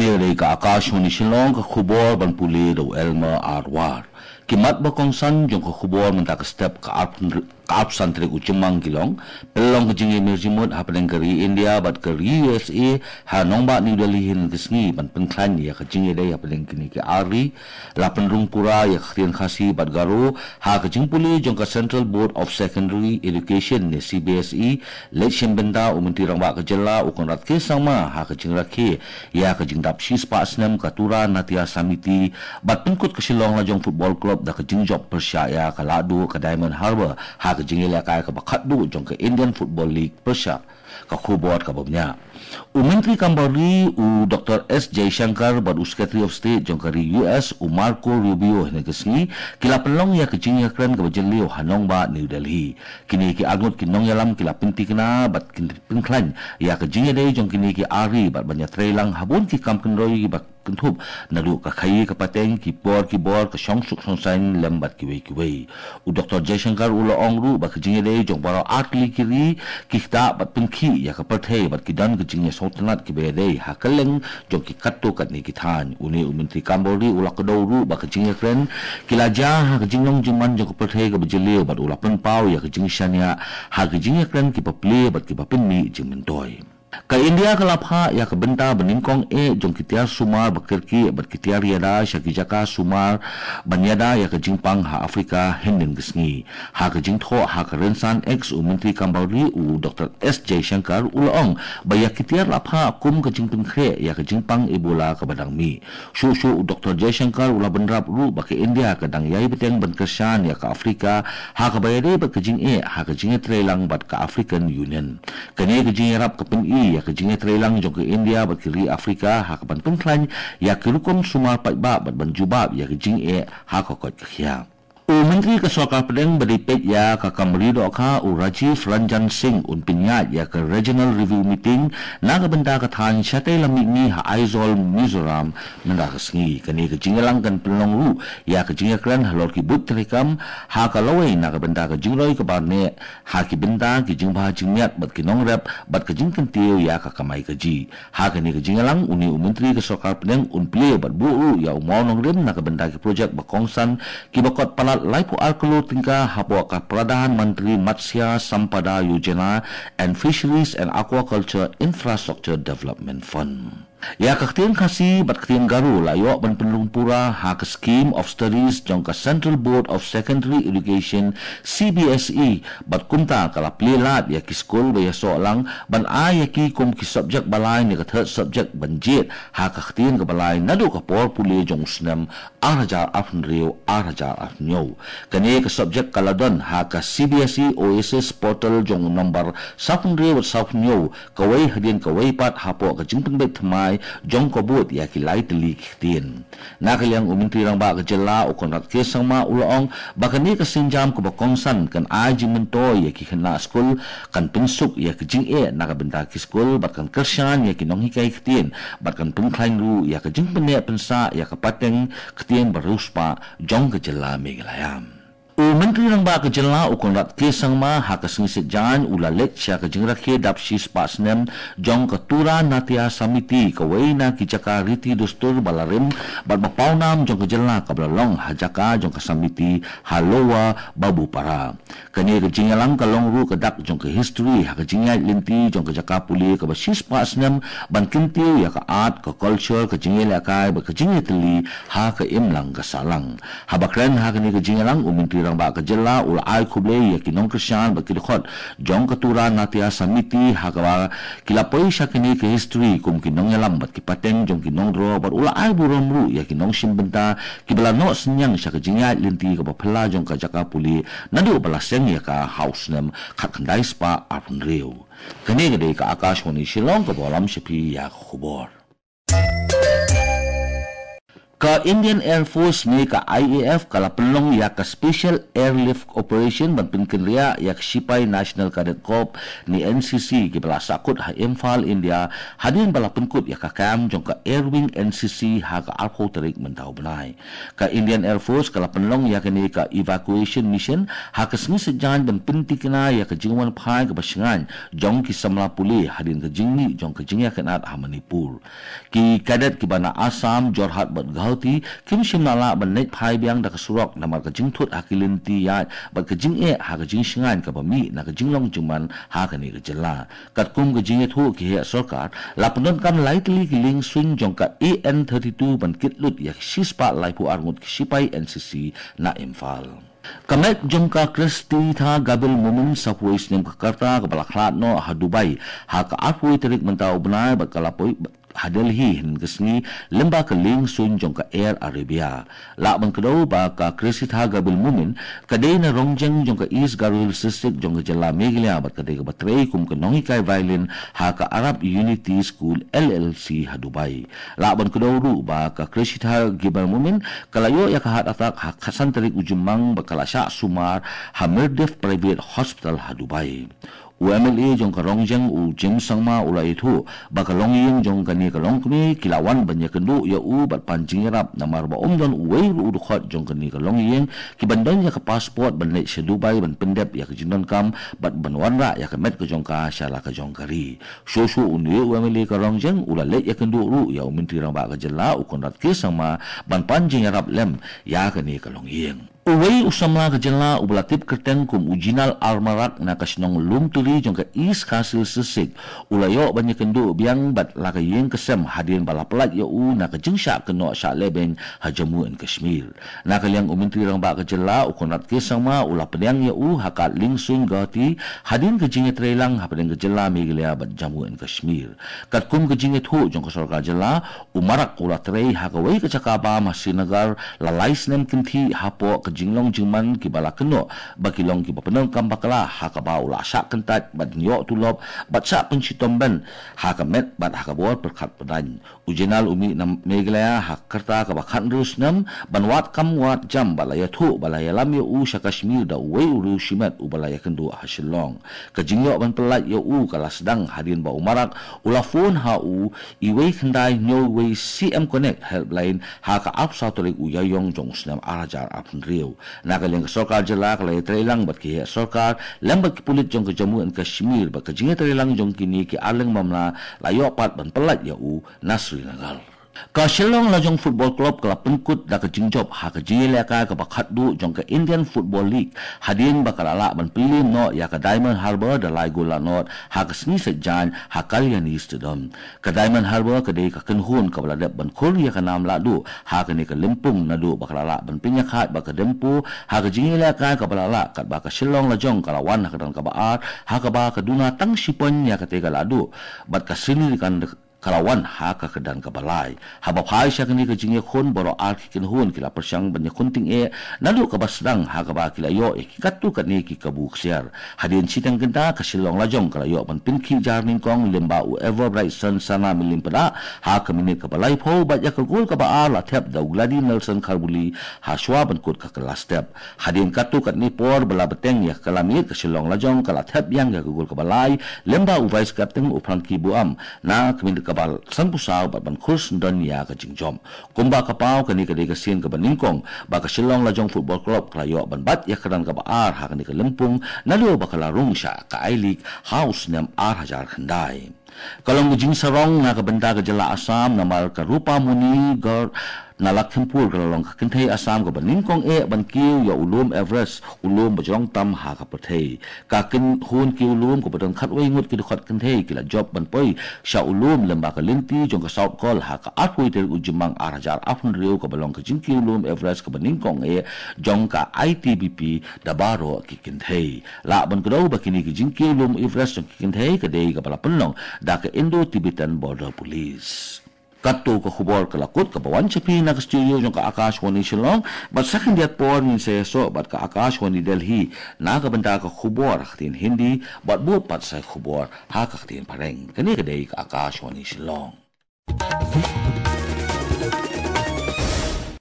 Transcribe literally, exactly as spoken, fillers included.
Ïa dei ka Akashvani Shillong, ka khubor ban pule da u Elmer Arwar. Ki mat ba kongsan jong ka khubor mynta ka step ka arphew, ka arphew san tarik u Jymmang ki long: pynlong ka jingïamir jingmut hapdeng ka ri India bad ka ri U S A ha nongbah New Delhi hynne ka sngi ban pynkhlaiñ ïa ka jingïadei hapdeng kine ki ar ri. La pynrung pura ïa ka ktien Khasi bad Garo ha ka jingpule jong ka Central Board of Secondary Education ne C B S E. Leit shim bynta u Myntri Rangbah ka jylla u Conrad K Sangma ha ka jingrakhe ïa ka jingdap shispah snem ka Tura Natya Samiti bad pynkut ka Shillong Lajong Football Club da ka jingjop pyrshah ïa ka Lahduh ka Diamond Harbour ha ka jingïalehkai kaba khatduh jong ka Indian Football League pyrshah ka khubor kaba bniah. U Myntri Kam Bar Ri u Doctor S Jaishankar bad u Secretary of State jong ka ri U S u Marco Rubio hynne ka sngi ki la pynlong ïa ka jingïakren kaba jylliew ha nongbah New Delhi. Kine ki arngut ki nongïalam ki la pyntikna bad kin pynkhlaiñ ïa ka jingïadei jong kine ki ar ri bad ban ïatreilang ha bun ki kam kynroi ba kynthup naduh ka khaïi ka pateng, ki por ki bor, ka shongsuk shongsaiñ lem bad kiwei kiwei. U Doctor Jaishankar u la ong ruh ba ka jingïadei jong baroh artylli ki ri ki ktah bad pynkhih ïa ka pyrthei bad ki don ka jingïasngewtynnat kiba ïadei ha kylleng jong ki katto katne ki thaiñ. Une u Myntri Kam Bar Ri u la kdew ruh ba ka jingïakren ki la jia ha ka jinglong jingman jong ka pyrthei kaba jylliew bad u la pynpaw ïa ka jingshaniah ha ka jingïakren kiba plie bad kiba pynmih jingmyntoi. Ka India ka la phah ïa ka bynta ba nyngkong eh jong ki tiar sumar ba kyrkieh bad ki tiar ïada sha ki jaka sumar ban ïada ïa ka jingpang ha Afrika hynnin ka sngi. Ha ka jingthoh ha ka rynsan X, u Myntri Kam Bar Ri u Doctor S Jaishankar u la ong ba ïa ki tiar la phah kum ka jingpynkhreh ïa ka jingpang Ebola kaba dang mih. Shuh shuh u Doctor Jaishankar u la bynrap ruh ba ka India ka dang ïai bteng ban kyrshan ïa ka Afrika ha kaba ïadei bad ka jingeh ha ka jingïatreilang bad ka African Union. Kane ka jingïarap ka pyni ïa ka jingïatreilang jong ka India bad ki ri Afrika ha kaban pynkhlaiñ ïa ki rukom sumar paidbah bad ban jubab ïa ka jingeh ha ka koit ka khiah. U Myntri ka Sorkar Pdeng ba dei peit ïa ka kam ri dohkha u Rajiv Ranjan Singh un pynïaid ïa ka Regional Review Meeting na ka bynta ka thaiñ shatei lam mihngi ha Aizawl, Mizoram mynta ka sngi. Kane ka jingïalang kan pynlong ruh ïa ka jingïakren halor ki buit treikam ha ka lawei na ka bynta ka jingroi ka barneh ha ki bynta ki jingbha jingmiat bad ki nongrep bad ka jingkyntiew ïa ka kamai kajih. Ha kane ka jingïalang une u Myntri ka Sorkar Pdeng un plie bad buh ruh ïa u mawnongrim na ka bynta ki projek ba kongsan kiba kot palat laiphew ar klur tyngka hapoh ka Pradhan Mantri Matsya Sampada Yojana and Fisheries and Aquaculture Infrastructure Development Fund. Ïa ka ktien Khasi bad ktien Garo la ïoh ban pynrung pura ha ka Scheme of Studies jong ka Central Board of Secondary Education, C B S E, bad kumta ka la plie lad ïa ki skul ba ïasoh lang ban ai ïa ki kum ki subject ba lai ne ka third subject ban jied ha ka ktien kaba lai naduh ka por pule jong u snem ar hajar arphew hynriew ar hajar arphew hynñiew. Kane ka subject ka la don ha ka C B S E Oasis portal jong u nombar sawphew hynriew bad sawphew hynñiew, kawei hadien kawei pat hapoh ka jingpynbeit thymmai jong ka bud ïa ki lai tylli ki ktien. Na ka liang u Myntri Rangbah ka jylla u Conrad K Sangma u la ong ba kane ka sienjam kaba kongsan kan ai jingmyntoi ïa ki khynnah skul, kan pynsuk ïa ka jingeh na ka bynta ki skul bad kan kyrshan ïa ki nonghikai ktien bad kan pynkhlaiñ ruh ïa ka jingpynneh pynsah ïa ka pateng ktien ba riewspah jong ka jylla Meghalaya. U Myntri Rangbah ka jylla u Conrad K Sangma ha ka sngi Saitjaiñ u la leit sha ka jingrakhe dap shispah snem jong ka Tura Natya Samiti, kawei na ki jaka riti dustur ba la rim bad ba pawnam jong ka jylla kaba la long ha jaka jong ka Samiti ha Lower Babupara. Kane ka jingïalang ka long ruh ka dak jong ka history ha ka jingïaid lynti jong ka jaka pule kaba shispah snem ban kyntiew ïa ka art, ka culture, ka jingïalehkai bad ka jingïatylli ha ka imlang ka sahlang. Haba kren ha kane ka jingïalang u Myntri Rangbah ka jylla u la ai khublei ïa ki nongkyrshan bad ki dkhot jong ka Tura Natya Samiti ha kaba ki la poi sha kane ka history kum ki nongïalam bad ki pateng jong ki nongdro bad u la ai burom ruh ïa ki nongshim bynta kiba la noh synñiang sha ka jingïaid lynti kaba phylla jong ka jaka pule naduh ba la seng ïa ka ha u snem khatkhyndai spah arphew hynriew. Kane ka dei ka Akashvani Shillong kaba lam sha phi ïa ka khubor. Ka Indian Air Force ne ka I A F ka la pynlong ïa ka Special Airlift Operation ban pynkynriah ïa ka Sipai National Cadet Corps ne N C C kiba la sahkut ha Imphal, India, hadien ba la pynkut ïa ka kam jong ka Air Wing N C C ha ka arphew tarik mynta u bnai. Ka Indian Air Force ka la pynlong ïa kane ka evacuation mission ha ka sngi Saitjaiñ ban pyntikna ïa ka jingwan phai kaba shngaiñ jong ki samla pule hadien ka jingmih jong ka jingïakynad ha Manipur. Ki cadet kiba na Assam, Jorhat bad Guwahati kim shym la lah ban leit phai biang da ka surok namar ka jingthut ha ki lynti ïaid bad ka jingeh ha ka jingshngaiñ kaba mih na ka jinglong jingman ha kane ka jylla. Katkum ka jingïathuh ki heh sorkar, la pyndonkam lai tylli ki lieng suiñ jong ka A N thirty-two ban kit lut ïa ki shispah laiphew ar ngut ki sipai N C C na Imphal. Ka met jong ka Christitta Gabil Momin sa poi snem ka karta kaba la khlad noh ha Dubai ha ka arphew tarik mynta u bnai bad ka la poi ha Delhi hynnin ka sngi lyngba ka lieng suiñ jong ka Air Arabia. Lah ban kdew ba ka Christitta Gabil Momin ka dei na Rongjeng jong ka East Garo Hills District jong ka jylla Meghalaya bad ka dei kaba trei kum ka nonghikai violin ha ka Arab Unity School L L C ha Dubai. Lah ban kdew ruh ba ka Christitta Gabil Momin ka la ïoh ïa ka heart attack ha ka san tarik u Jymmang bad ka la shah sumar ha Mirdiff Private Hospital ha Dubai. U M L A jong ka Rongjeng u James Sangma u la ïathuh ba ka longïing jong kane ka longkmie ki la wan ban ïakynduh ïa u bad pan jingïarap namar ba ym don uwei ruh u dkhot jong kane ka longïing kiban don ïa ka passport ban leit sha Dubai ban pyndep ïa ka jingdonkam bad ban wanrah ïa ka met ka jong ka sha la ka jong ka ri. Shuh shuh une u M L A ka Rongjeng u la leit ïakynduh ruh ïa u Myntri Rangbah ka jylla u Conrad K Sangma ban pan jingïarap lem ïa kane ka longïing. Uwei u samla ka jylla uba la tip kyrteng kum u Jinal R Marak na ka shnong Lumturi jong ka East Khasi Hills District u la ïoh ban ïakynduh biang bad la ka ïing ka sem hadien ba la pyllait ïa u na ka jingshah kynnoh shah lehbeiñ ha Jammu and Kashmir. Na ka liang u Myntri Rangbah ka jylla u Conrad K Sangma u la pdiang ïa u ha ka lieng suiñ Guwahati hadien ka jingïatreilang hapdeng ka jylla Meghalaya bad Jammu and Kashmir. Katkum ka jingïathuh jong ka sorkar jylla, u Marak u la trei ha kawei ka jaka bam ha Srinagar la lai snem kynthih hapoh ka jinglong jingman kiba la kynnoh ba ki long kiba pyndonkam bakla ha kaba u la shah kyntait bad ïoh tulop bad shah pynshitom beiñ ha ka met bad ha ka bor pyrkhat pyrdain. U Jinal u mih na Meghalaya ha ka rta kaba khathynriew snem ban wad kam wad jam bad la ïathuh ba la ïalam ïa u sha Kashmir da uwei u riew shimet uba la ïakynduh ha Shillong. Ka jingïoh ban pyllait ïa u ka la sdang hadien ba u Marak u la phone ha u iwei khyndai hynñiew wei C M Connect helpline ha ka arphew saw tarik u Ïaïong jong u snem ar hajar arphew hynriew. Na ka liang ka sorkar jylla ka la ïatreilang bad ki heh sorkar lem bad ki pulit jong ka Jammu and Kashmir bad ka jingïatreilang jong kine ki arliang mamla la ïoh pat ban pyllait ïa u na Srinagar. Ka Shillong Lajong Football Club ka la pynkut da ka jingjop ha ka jingïalehkai kaba khatduh jong ka Indian Football League hadien ba ka la lah ban pynliem noh ïa ka Diamond Harbour da lai gol la nod ha ka sngi Saitjaiñ ha Kalyani Stadium. Ka Diamond Harbour ka dei ka kynhun kaba la dep ban khur ïa ka nam lahduh ha kane ka lympung naduh ba ka la lah ban pynïakhaid bad ka Dempo ha ka jingïalehkai kaba la lah katba ka Shillong Lajong ka la wan ha ka kyrdan kaba ar ha kaba ka duna tang shi point ïa katei ka lahduh bad ka Srinikandan ka la wan ha ka kyrdan kaba lai. Haba phai sha kane ka jingïakhun baroh ar ki kynhun ki la pyrshang ban ïakhun tyngeh naduh kaba sdang ha kaba ki la ïoh ïa ki katto katne ki kabu ksiar. Hadien shiteng kynta ka Shillong Lajong ka la ïoh ban pynkhih jar nyngkong lyngba u Everbrightson Sana Mylliem Pdah ha ka minit kaba laiphew bad ïa ka gol kaba ar la thep da u Glady Nelson Kharbuli ha shuwa ban kut ka kylla step. Hadien katto katne por ba la bteng ïa ka kylla miet ka Shillong Lajong ka la thep biang ïa ka gol kaba lai lyngba u vice captain u Frankie Buam na ka minit kaba sanphew saw bad ban khur syndon ïa ka jingjop. Kumba ka paw kane ka dei ka sien kaba nyngkong ba ka Shillong Lajong Football Club ka la ïoh ban bat ïa ka kyrdan kaba ar ha kane ka lympung naduh ba ka la rung sha ka I-League ha u snem ar hajar khyndai. Ka long ka jingsarong na ka bynta ka jylla Assam namar ka Rupamoni Garh na Lakhimpur ka la long ka kynthei Assam kaba nyngkong eh ban kiew ïa u lum Everest, u lum ba jrong tam ha ka pyrthei. Ka kynhun kiew lum kaba don khatwei ngut ki dkhot kynthei ki la jop ban poi sha u lum lyngba ka lynti jong ka South Col ha ka arphew tarik u Jymmang ar hajar arphew hynriew kaba long ka jingkiew lum Everest kaba nyngkong eh jong ka I T B P da baroh ki kynthei. Lah ban kdew ba kine ki jingkiew lum Everest jong ki kynthei ka dei kaba la pynlong da ka Indo-Tibetan Border Police. Katto ka khubor ka la kut kaba wan sha phi na ka studio jong ka Akashvani Shillong, bad sa khyndiat por ngin sa ïasoh bad ka Akashvani Delhi na ka bynta ka khubor ha ka ktien Hindi, bad bud pat sa khubor ha ka ktien Phareng. Kane ka dei ka Akashvani Shillong.